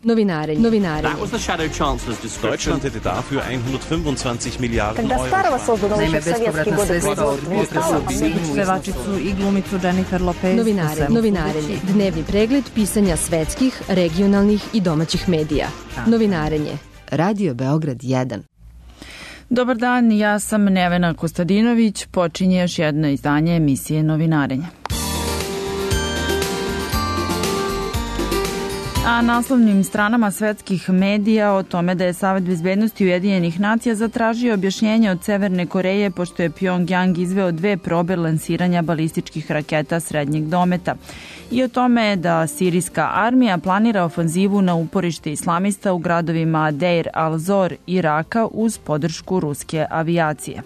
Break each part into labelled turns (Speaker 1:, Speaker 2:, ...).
Speaker 1: Novinarenje.
Speaker 2: That was the Shadow Chancellor's description.
Speaker 3: Deutschland hätte dafür 125 Milijarden
Speaker 4: Когда Старого создано еще в советские годы
Speaker 5: Pevačicu i glumicu Jennifer Lopez.
Speaker 1: Novinarenje. Dnevni pregled pisanja svetskih, regionalnih i domaćih medija. Novinarenje. Radio Beograd 1.
Speaker 5: Dobar dan, ja sam Nevena Kostadinović. Počinje još jedno izdanje emisije Novinarenje. A naslovnim stranama svetskih medija o tome da je Savet bezbednosti Ujedinjenih nacija zatražio objašnjenje od Severne Koreje pošto je Pjongjang izveo 2 probe lansiranja balističkih raketa srednjeg dometa. I o tome da sirijska armija planira ofanzivu na uporište islamista u gradovima Deir al-Zor i Raka uz podršku ruske avijacije.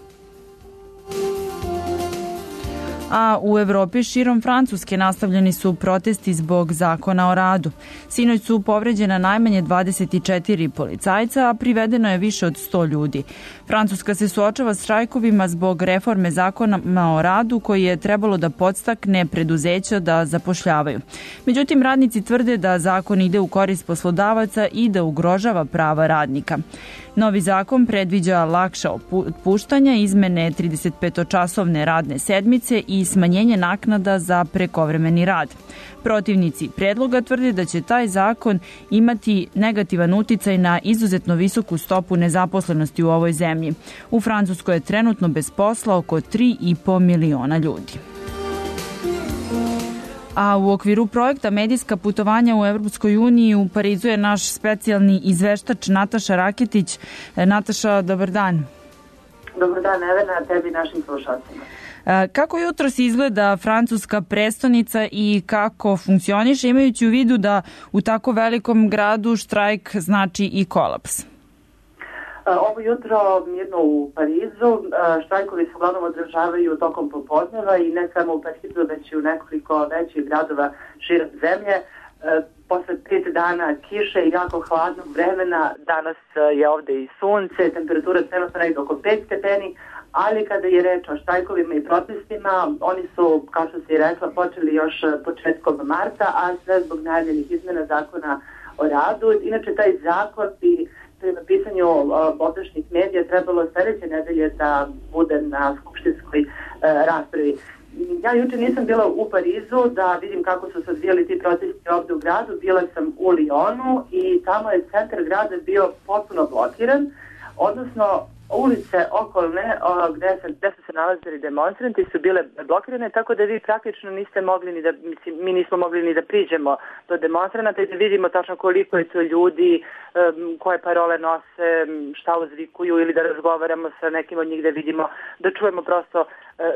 Speaker 5: A u Evropi širom Francuske nastavljeni su protesti zbog zakona o radu. Sinoć su povređena najmanje 24 policajca, a privedeno je više od 100 ljudi. Francuska se suočava s štrajkovima zbog reforme zakona o radu koji je trebalo da podstakne preduzeća da zapošljavaju. Međutim, radnici tvrde da zakon ide u korist poslodavaca i da ugrožava prava radnika. Novi zakon predviđa lakša otpuštanja, izmene 35-časovne radne sedmice i smanjenje naknada za prekovremeni rad. Protivnici predloga tvrde da će taj zakon imati negativan uticaj na izuzetno visoku stopu nezaposlenosti u ovoj zemlji. U Francuskoj je trenutno bez posla oko 3,5 miliona ljudi. A u okviru projekta Medijska putovanja u Evropskoj uniji u Parizu je naš specijalni izveštač Nataša Raketić. Nataša, dobar dan.
Speaker 6: Dobar dan, Nevena, tebi i našim slušalcima.
Speaker 5: Kako jutros izgleda francuska prestonica i kako funkcioniše, imajući u vidu da u tako velikom gradu štrajk znači i kolaps?
Speaker 6: Ovo jutro mirno u Parizu, štrajkovi se uglavnom održavaju tokom popodneva i ne samo u Parizu, već i u nekoliko većih gradova širom zemlje. Posle 5 dana kiše i jako hladnog vremena, danas je ovde i sunce, temperatura trenutno negdje oko 5 stepeni, ali kada je reč o štrajkovima i protestima, oni su, kao što se i rekla, počeli još početkom marta, a sve zbog najavljenih izmena zakona o radu. Inače, taj zakon bi prema pisanju ovdašnjih medija trebalo sljedeće nedelje da bude na skupštinskoj raspravi. Ja juče nisam bila u Parizu da vidim kako su se odvijali ti protesti ovde u gradu. Bila sam u Lyonu i tamo je centar grada bio potpuno blokiran, odnosno ulice okolne gde su se nalazili demonstranti su bile blokirane, tako da vi praktično niste mogli ni da, mi nismo mogli ni da priđemo do demonstranata i da vidimo tačno koliko je to ljudi, koje parole nose, šta uzvikuju ili da razgovaramo sa nekim od njih da vidimo, da čujemo prosto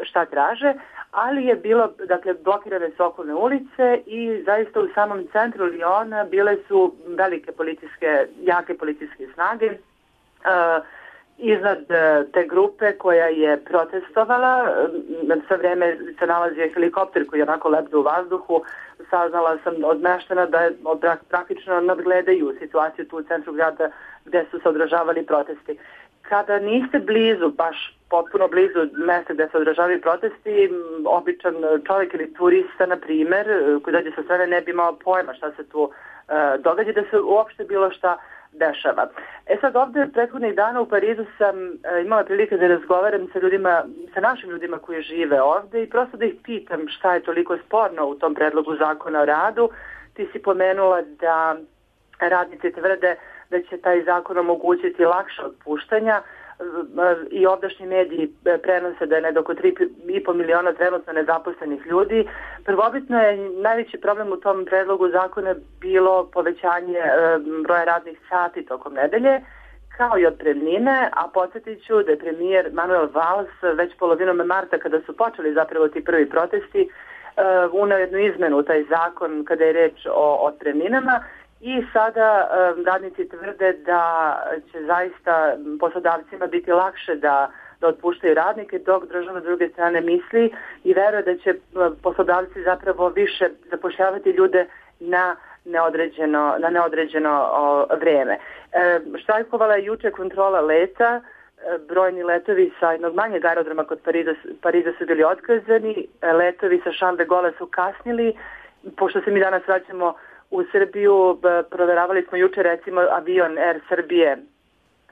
Speaker 6: šta traže, ali je bilo, dakle, blokirane su okolne ulice i zaista u samom centru Lyona bile su velike jake policijske snage. Iznad te grupe koja je protestovala, sa vreme se nalazio helikopter koji je onako lebdo u vazduhu, saznala sam od meštana da praktično nadgledaju situaciju tu u centru grada gde su se održavali protesti. Kada niste blizu, baš potpuno blizu mesta gde se održavaju protesti, običan čovjek ili turista, na primer, koji dođe sa strane ne bi imao pojma šta se tu događa, da se uopšte bilo šta dešava. Sad ovde prethodnih dana u Parizu sam imala prilike da razgovaram sa ljudima, sa našim ljudima koji žive ovde i prosto da ih pitam šta je toliko sporno u tom predlogu zakona o radu. Ti si pomenula da radnici tvrde da će taj zakon omogućiti lakše otpuštanja i ovdašnji mediji prenose da je oko 3,5 miliona trenutno nezaposlenih ljudi. Prvobitno je najveći problem u tom predlogu zakona bilo povećanje broja radnih sati tokom nedelje, kao i otpremnine, a podsjetit ću da je premijer Manuel Valls već polovinom marta, kada su počeli zapravo ti prvi protesti, uneo jednu izmenu u taj zakon kada je reč o otpremninama. I sada radnici tvrde da će zaista poslodavcima biti lakše da otpuštaju radnike, dok država s druge strane misli i veruje da će poslodavci zapravo više zapošljavati ljude na neodređeno vreme. Štrajkovala je juče kontrola leta, brojni letovi sa jednog manjeg aerodroma kod Pariza su bili otkazani, letovi sa Charles de Gaulle su kasnili, pošto se mi danas vraćamo u Srbiju. Proveravali smo juče recimo avion Air Srbije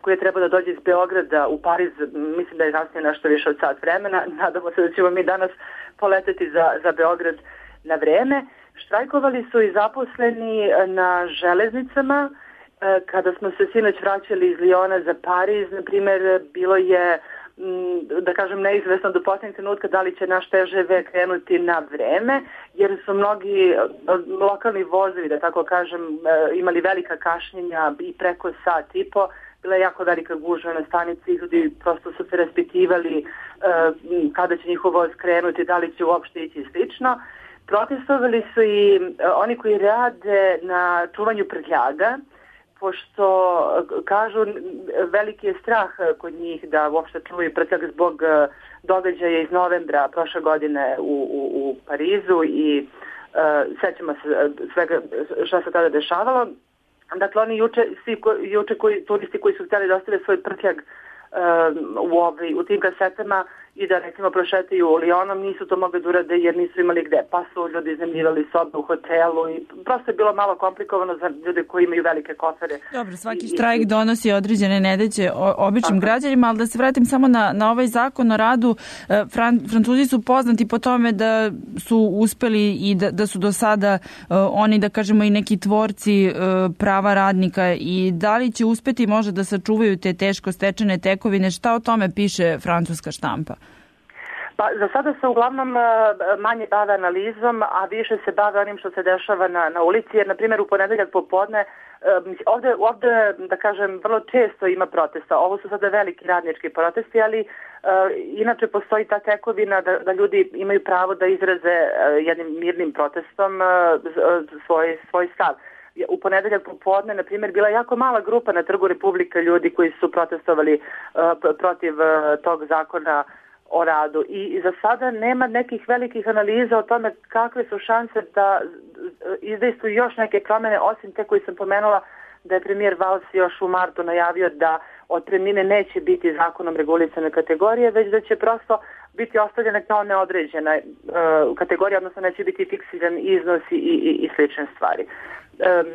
Speaker 6: koji je trebao da dođe iz Beograda u Pariz, mislim da je kasnije nešto više od sat vremena. Nadamo se da ćemo mi danas poleteti za Beograd na vreme. Štrajkovali su i zaposleni na železnicama. Kada smo se sinoć vraćali iz Liona za Pariz, na primjer, bilo je, da kažem, neizvesno do posljednjeg trenutka da li će naš TŽV krenuti na vreme, jer su mnogi lokalni vozovi, da tako kažem, imali velika kašnjenja i preko sat i po. Bila je jako velika gužva na stanici, ljudi prosto su se raspitivali kada će njihov voz krenuti, da li će uopšte ići slično. Protestovali su i oni koji rade na čuvanju prtljaga, pošto kažu veliki je strah kod njih da uopšte čuvaju prtljag zbog događaja iz novembra prošle godine u Parizu i sećamo se svega što se tada dešavalo. Dakle, oni juče turisti koji su htjeli da ostave svoj prtljag u tim kasetama i da recimo prošetaju Lionom, nisu to mogli da urade jer nisu imali gde, pa su ljudi iznajmljivali sobe u hotelu i prosto je bilo malo komplikovano za ljude koji imaju velike kofere.
Speaker 5: Dobro, svaki štrajk donosi određene nedaće običnim građanima, ali da se vratim samo na ovaj zakon o radu. Francuzi su poznati po tome da su uspeli i da su do sada oni, da kažemo, i neki tvorci prava radnika, i da li će uspeti možda da sačuvaju te teško stečene tekovine? Šta o tome piše francuska štampa?
Speaker 6: Pa za sada se uglavnom manje bave analizom, a više se bave onim što se dešava na ulici, jer na primjer u ponedeljak popodne ovde, da kažem, vrlo često ima protesta. Ovo su sada veliki radnički protesti, ali inače postoji ta tekovina da ljudi imaju pravo da izraze jednim mirnim protestom svoj stav. U ponedeljak popodne, na primjer, bila je jako mala grupa na Trgu Republike ljudi koji su protestovali protiv tog zakona o radu. I za sada nema nekih velikih analiza o tome kakve su šanse da izdejstvuju još neke promjene, osim te koji sam pomenula da je premijer Valls još u martu najavio da otpremnine neće biti zakonom regulisane kategorije, već da će prosto biti ostavljene kao neodređena kategorija, odnosno neće biti fiksiran iznos i slične stvari.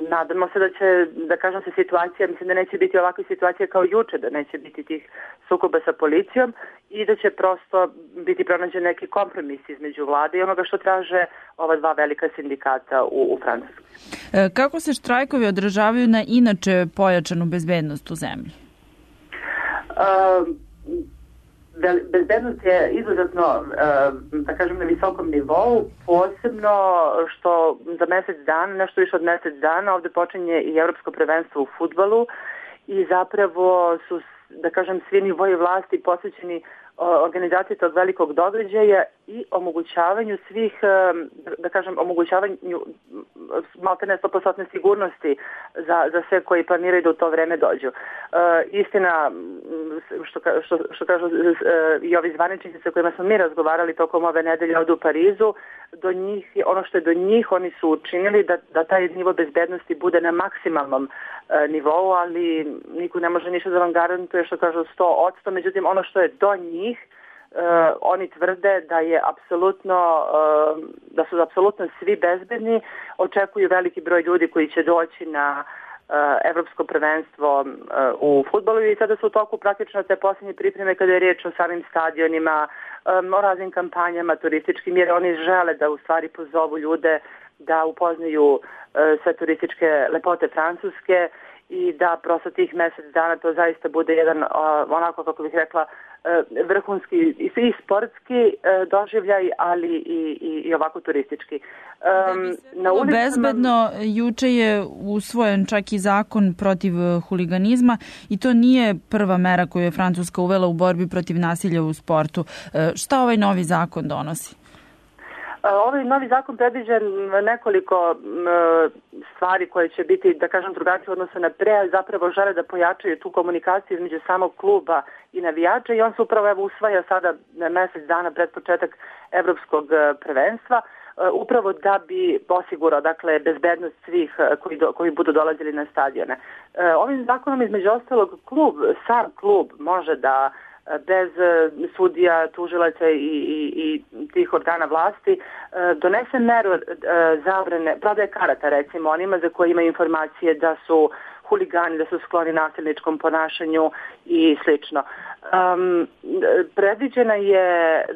Speaker 6: Nadamo se da će, da kažem se, situacija, mislim da neće biti ovakve situacije kao juče, da neće biti tih sukoba sa policijom i da će prosto biti pronađen neki kompromis između vlade i onoga što traže ova dva velika sindikata u Francuskoj.
Speaker 5: Kako se štrajkovi odražavaju na inače pojačanu bezbednost u zemlji?
Speaker 6: Bezbednost je izuzetno, da kažem, na visokom nivou, posebno što za mjesec dana, nešto više od mjesec dana, ovdje počinje i Evropsko prvenstvo u fudbalu i zapravo su, da kažem, svi nivoji vlasti posvećeni organizaciji tog velikog događaja i omogućavanju svih, da kažem, omogućavanju maltene 100% sigurnosti za sve koji planiraju da u to vreme dođu. Istina, što kažu i ovi zvaničnici sa kojima smo mi razgovarali tokom ove nedelje ovdje u Parizu, do njih, ono što je do njih, oni su učinili da taj nivo bezbednosti bude na maksimalnom nivou, ali niko ne može ništa da vam garantuje, što kažu 100%, međutim ono što je do njih, oni tvrde da je apsolutno, da su apsolutno svi bezbedni, očekuju veliki broj ljudi koji će doći na Evropsko prvenstvo u fudbalu i sada su u toku praktično te posljednje pripreme kada je riječ o samim stadionima, o raznim kampanjama turističkim, jer oni žele da u stvari pozovu ljude da upoznaju sve turističke lepote Francuske i da prosto tih mjesec dana to zaista bude jedan, onako kako bih rekla, vrhunski i sportski doživljaj, ali i ovako turistički.
Speaker 5: Na ulicama... Bezbedno, juče je usvojen čak i zakon protiv huliganizma i to nije prva mera koju je Francuska uvela u borbi protiv nasilja u sportu. Šta ovaj novi zakon donosi?
Speaker 6: Ovaj novi zakon predviđa nekoliko stvari koje će biti, da kažem, drugačije odnosno na pre, ali zapravo žele da pojačaju tu komunikaciju između samog kluba i navijača i on se upravo usvaja sada mjesec dana pred početak Evropskog prvenstva, upravo da bi osigurao, dakle, bezbednost svih koji budu dolazili na stadione. Ovim zakonom između ostalog sam klub može da bez sudija, tužilaca i tih organa vlasti, donese meru zabrane, prodaje karata recimo onima za koje ima informacije da su huligani, da su skloni nasilničkom ponašanju i slično. Predviđena je,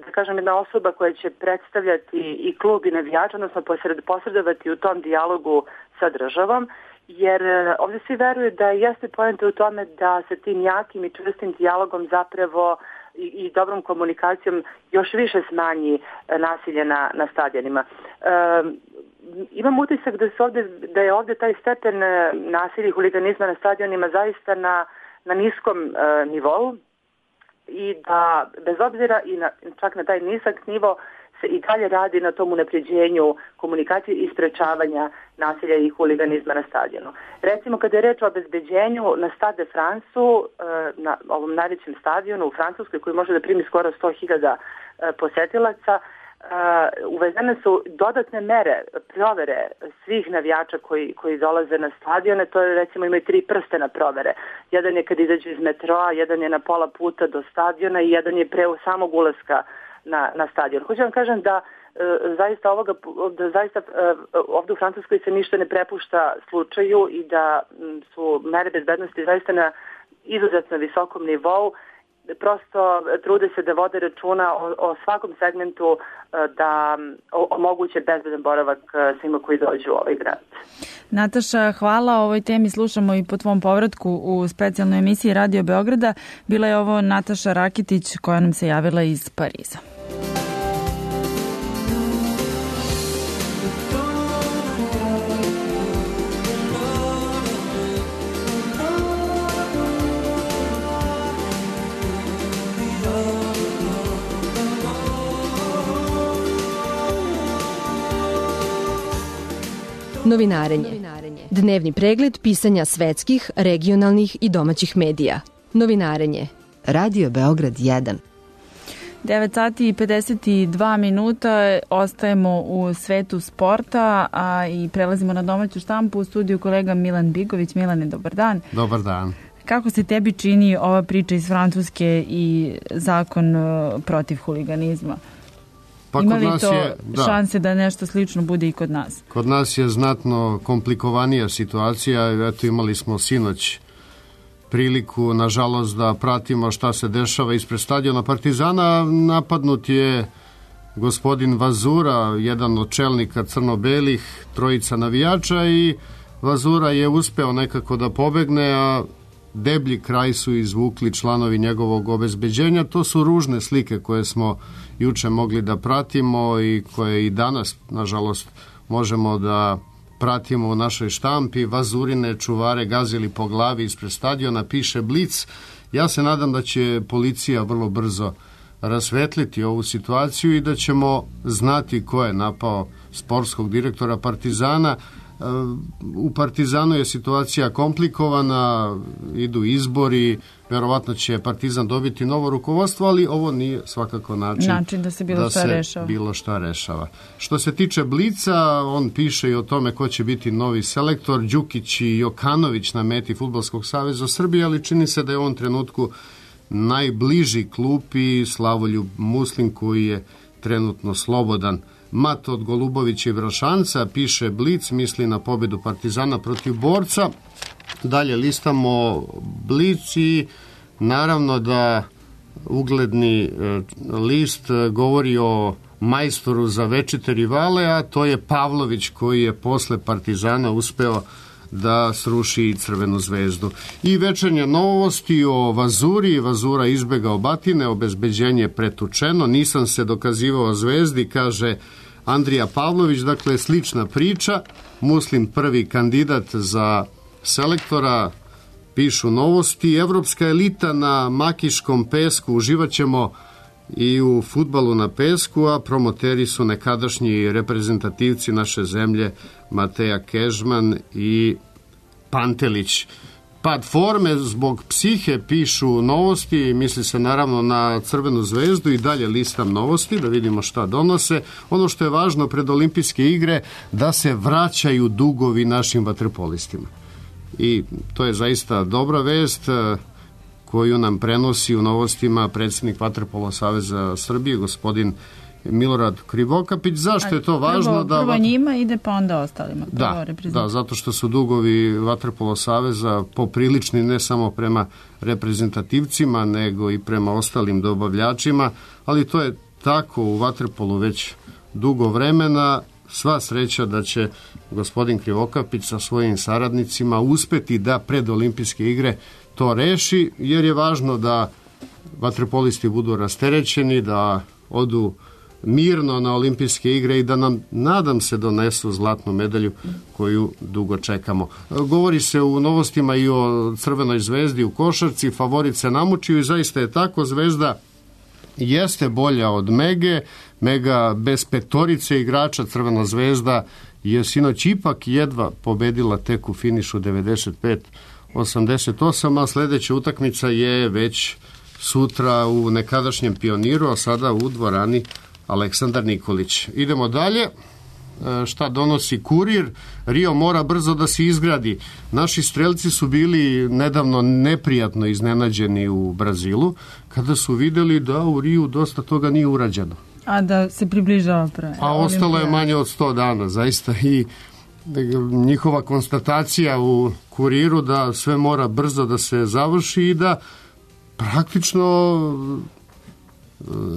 Speaker 6: da kažem, jedna osoba koja će predstavljati i klub i navijač, odnosno posredovati u tom dijalogu sa državom, jer ovdje svi veruju da jeste poenta u tome da se tim jakim i čvrstim dijalogom zapravo i dobrom komunikacijom još više smanji nasilje na stadionima. Imam utisak da je ovdje taj stepen nasilja i huliganizma na stadionima zaista na niskom nivou i da bez obzira i čak na taj nisak nivo se i dalje radi na tom unapređenju komunikacije i sprečavanja nasilja i huliganizma na stadionu. Recimo, kada je reč o obezbeđenju na Stade de France-u, na ovom najvećem stadionu u Francuskoj koji može da primi skoro 100.000 posetilaca, uvezene su dodatne mere, provere svih navijača koji dolaze na stadione. To je, recimo, imaju 3 prstena provere. Jedan je kad izađu iz metroa, jedan je na pola puta do stadiona i jedan je pre samog ulaska na stadion. Hoću vam kažem da zaista ovdje u Francuskoj se ništa ne prepušta slučaju i da su mere bezbednosti zaista na izuzetno visokom nivou. Prosto trude se da vode računa o svakom segmentu da omoguće bezbedan boravak svima koji dođu u ovaj grad.
Speaker 5: Nataša, hvala. O ovoj temi slušamo i po tvom povratku u specijalnoj emisiji Radio Beograda. Bila je ovo Nataša Rakitić koja nam se javila iz Pariza.
Speaker 1: Novinarenje. Dnevni pregled pisanja svetskih, regionalnih i domaćih medija. Novinarenje. Radio Beograd 1.
Speaker 5: 9 sati i 52 minuta. Ostajemo u svetu sporta i prelazimo na domaću štampu. U studiju kolega Milan Bigović. Milane, dobar dan.
Speaker 7: Dobar dan.
Speaker 5: Kako se tebi čini ova priča iz Francuske i zakon protiv huliganizma?
Speaker 7: Pa
Speaker 5: ima li to šanse da nešto slično bude i kod nas?
Speaker 7: Kod nas je znatno komplikovanija situacija. Eto, imali smo sinoć priliku, nažalost, da pratimo šta se dešava ispred stadiona Partizana. Napadnut je gospodin Vazura, jedan od čelnika crno-belih, 3 navijača, i Vazura je uspeo nekako da pobegne, a deblji kraj su izvukli članovi njegovog obezbeđenja. To su ružne slike koje smo juče mogli da pratimo i koje i danas, nažalost, možemo da pratimo u našoj štampi. Vazurine čuvare gazili po glavi ispred stadiona, piše Blic. Ja se nadam da će policija vrlo brzo rasvetliti ovu situaciju i da ćemo znati ko je napao sportskog direktora Partizana. U Partizanu je situacija komplikovana, idu izbori, verovatno će Partizan dobiti novo rukovodstvo, ali ovo nije svakako način
Speaker 5: da se bilo šta rešava.
Speaker 7: Što se tiče Blica, on piše i o tome ko će biti novi selektor. Đukić i Jokanović na meti Fudbalskog saveza Srbije, ali čini se da je u ovom trenutku najbliži klupi Slavoljub Muslin, koji je trenutno slobodan. Mat od Golubovića i Vrašanca, piše Blic, misli na pobedu Partizana protiv Borca. Dalje listamo Blic i naravno da ugledni list govori o majstoru za večite rivale, a to je Pavlović, koji je posle Partizana uspeo da sruši i Crvenu zvezdu. I večernje novosti o Vazuri. Vazura izbegao batine, obezbeđenje pretučeno, nisam se dokazivao Zvezdi, kaže Andrija Pavlović. Dakle, slična priča. Muslim prvi kandidat za selektora, pišu novosti. Evropska elita na makiškom pesku, uživaćemo i u fudbalu na pesku, a promoteri su nekadašnji reprezentativci naše zemlje Mateja Kežman i Pantelić. Pad forme zbog psihe, pišu novosti, misli se naravno na Crvenu zvezdu. I dalje listam novosti da vidimo šta donose. Ono što je važno pred olimpijske igre, da se vraćaju dugovi našim vaterpolistima. I to je zaista dobra vest koju nam prenosi u novostima predsjednik Vaterpolo saveza Srbije, gospodin Milorad Krivokapić. Zašto je to važno?
Speaker 5: Prvo njima ide pa onda ostalima.
Speaker 7: Da, zato što su dugovi Vaterpolo saveza poprilični ne samo prema reprezentativcima, nego i prema ostalim dobavljačima, ali to je tako u vaterpolu već dugo vremena. Sva sreća da će gospodin Krivokapić sa svojim saradnicima uspeti da pred olimpijske igre to reši, jer je važno da vaterpolisti budu rasterećeni, da odu mirno na olimpijske igre i da nam, nadam se, donesu zlatnu medalju koju dugo čekamo. Govori se u novostima i o Crvenoj zvezdi u košarci, favorit se namučio i zaista je tako. Zvezda jeste bolja od Mege. Mega bez petorice igrača, Crvena zvezda je sinoć ipak jedva pobedila tek u finišu 95-88, a sledeća utakmica je već sutra u nekadašnjem Pioniru, a sada u dvorani Aleksandar Nikolić. Idemo dalje. Šta donosi Kurir? Rio mora brzo da se izgradi. Naši strelci su bili nedavno neprijatno iznenađeni u Brazilu, kada su videli da u Riju dosta toga nije urađeno.
Speaker 5: A da se približava
Speaker 7: a ostalo je manje od 100 dana, zaista, i njihova konstatacija u Kuriru da sve mora brzo da se završi i da praktično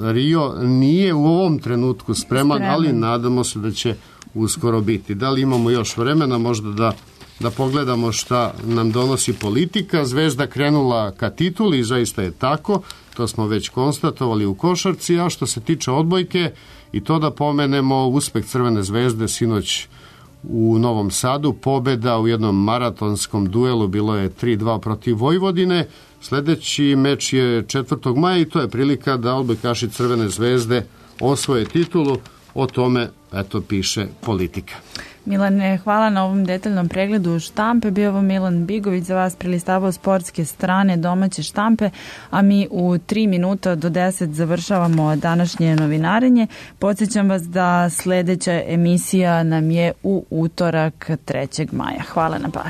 Speaker 7: Rio nije u ovom trenutku spreman, ali nadamo se da će uskoro biti. Da li imamo još vremena možda da pogledamo šta nam donosi politika? Zvezda krenula ka tituli i zaista je tako, to smo već konstatovali u košarci, a što se tiče odbojke, i to da pomenemo uspeh Crvene zvezde sinoć u Novom Sadu, pobeda u jednom maratonskom duelu, bilo je 3-2 protiv Vojvodine. Sledeći meč je 4. maja i to je prilika da odbojkaši Crvene zvezde osvoje titulu. O tome, eto, piše politika.
Speaker 5: Milane, hvala na ovom detaljnom pregledu štampe. Bio ovo Milan Bigović za vas prelistavao sportske strane domaće štampe, a mi u 3 minuta do 10 završavamo današnje novinarenje. Podsjećam vas da sledeća emisija nam je u utorak 3. maja. Hvala na pažnji.